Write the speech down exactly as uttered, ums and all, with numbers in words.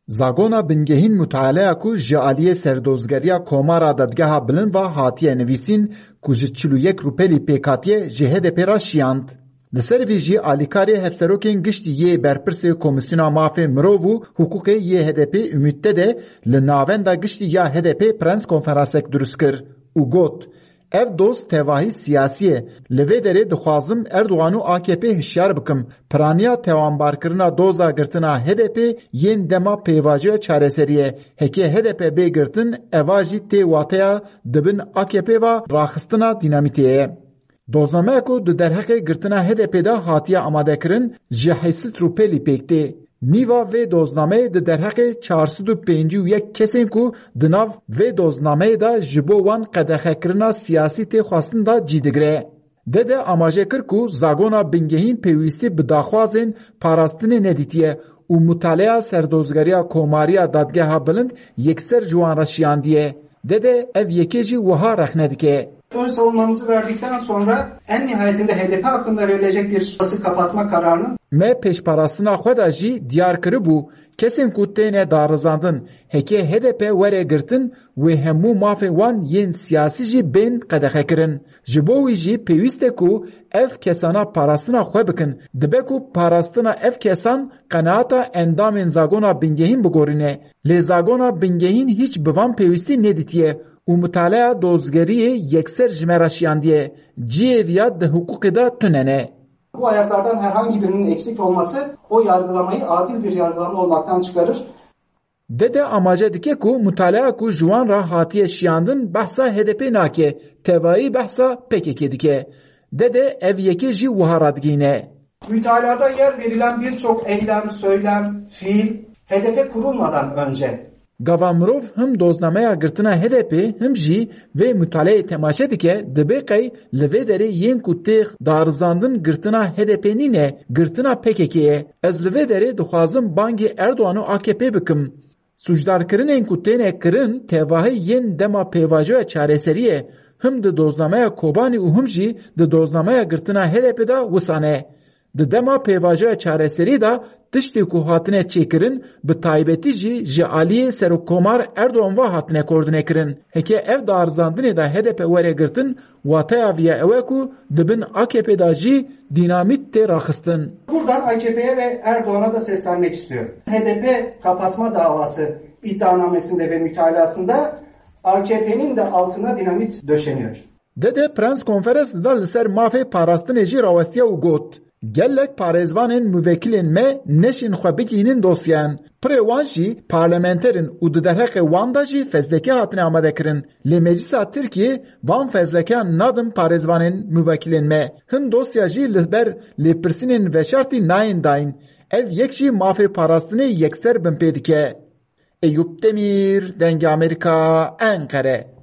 Zagona bingehîn mutaleya ku ji aliyê Serdozgeriya Komara Dadgeha Bilind ve hatiye nivîsîn, ku ji çil û yek rûpelî pêk hatiye, ji H D P re şiyand. Li ser vî jî alîkarê hevserokên giştî yê berpirsê Komîsyona Mafê Mirov û Hiqûqê yê H D P Ümit Dede li navenda giştî ya H D P prens konferansek dirust kir û got, Ev doz tevahî siyasî ye. Li vê derê dixwazim Erdogan û A K P hişyar bikim. Piraniya tewanbarkirina doza girtina H D P yên dema pêvajoya çareserî ye. Heke H D P bê girtin, eva jî tê wateya di bin A K P ve raxistina dînamîtê ye. Doznameya ku di derheqê girtina H D P de hatiye amadekirin, ji heyşt sed rûpelî pêk tê. Nîva vê doznameyê di derheqê çar sed û pêncî û yek kesên ku di nav vê doznameyê de ji bo wan qedexekirina siyasî tê xwestin de cî digire. Dede amaje kir ku zagona bingehîn pêwîstî bi daxwazên parastinê nedîtiye û mutaleya Serdozgeriya Komariya Dadgeha Bilind yekser ji wan re şiyandiye. Dede ev yekê jî wiha rexne dike. Ön savunmamızı verdikten sonra en nihayetinde H D P hakkında verilecek bir kapatma kararının Me pêşparastina xwe de jî diyar kiribû, kesên ku têne darizandin, heke H D P were girtin, wê hemû mafên wan yên siyasî jî bên qedexekirin. Ji bo wî jî pêwîst e ku ev kesana parastina xwe bikin. Dibe ku parastina ev kesan qenaeta endamên zagona bingehîn bigorîne. Lê zagona bingehîn hîç bi van pêwîstî nedîtiye û mutaleya dozgeriyê yekser ji me re şiyandiye. Cihê viya di hiqûqê de tune ne. Bu ayaklardan herhangi birinin eksik olması o yargılamayı adil bir yargılama olmaktan çıkarır. Dede amaje dike ku mutaleya ku ji wan re hatiye şiyandin behsa H D P nake, tevayî behsa P K K dike. Dede ev yekê jî wiha radigihîne. Mütalada yer verilen birçok eylem, söylem, fiil H D P kurulmadan önce Gava mirov him doznameya girtina H D P him jî vê mutaleyê temaşe dike, dibê qey li vê derê yên ku têx darizandin girtina H D P nîne, girtina P K K ye. Ez li vê derê dixwazim bangê Erdogan û A K P bikim. Sûcdarkirinên ku têne kirin tevahî yên dema pêvajoya çareseriyê, him di doznameya Kobanî û him jî di doznameya girtina H D P de wisa ne. Di dema pêvajoya çareserî de tiştê ku hatine çêkirin, bi taybetî jî ji aliyê Serokkomar Erdogan ve hatine koordînekirin. Heke ev darizandinê de H D P were girtin, wateya vî ya ew e ku di bin A K P de jî dînamît tê raxistin. Buradan A K P'ye ve Erdoğan'a da seslenmek istiyorum. H D P kapatma davası iddianamesinde ve mütalasında A K P'nin de altına dinamit döşeniyor. Dede prens konferans da li ser mafê parastinê jî rawestiya û got, Gelek parêzvanên muvekilên me neşên xwe bigihînin dosyeyan. Pirê wan jî parlamenter in û di derheqê wan de jî fezleke hatine amadekirin. Lê Meclisa Tirkiyê van fezlekeyan nadin parêzvanên muvekilên me. Hin dosya jî li ber lêpirsînên veşartî nayên dayîn. Ev yek jî mafê parastinê yekser binpê dike. Eyûp Demîr, Dengê Amerîka, Enqere.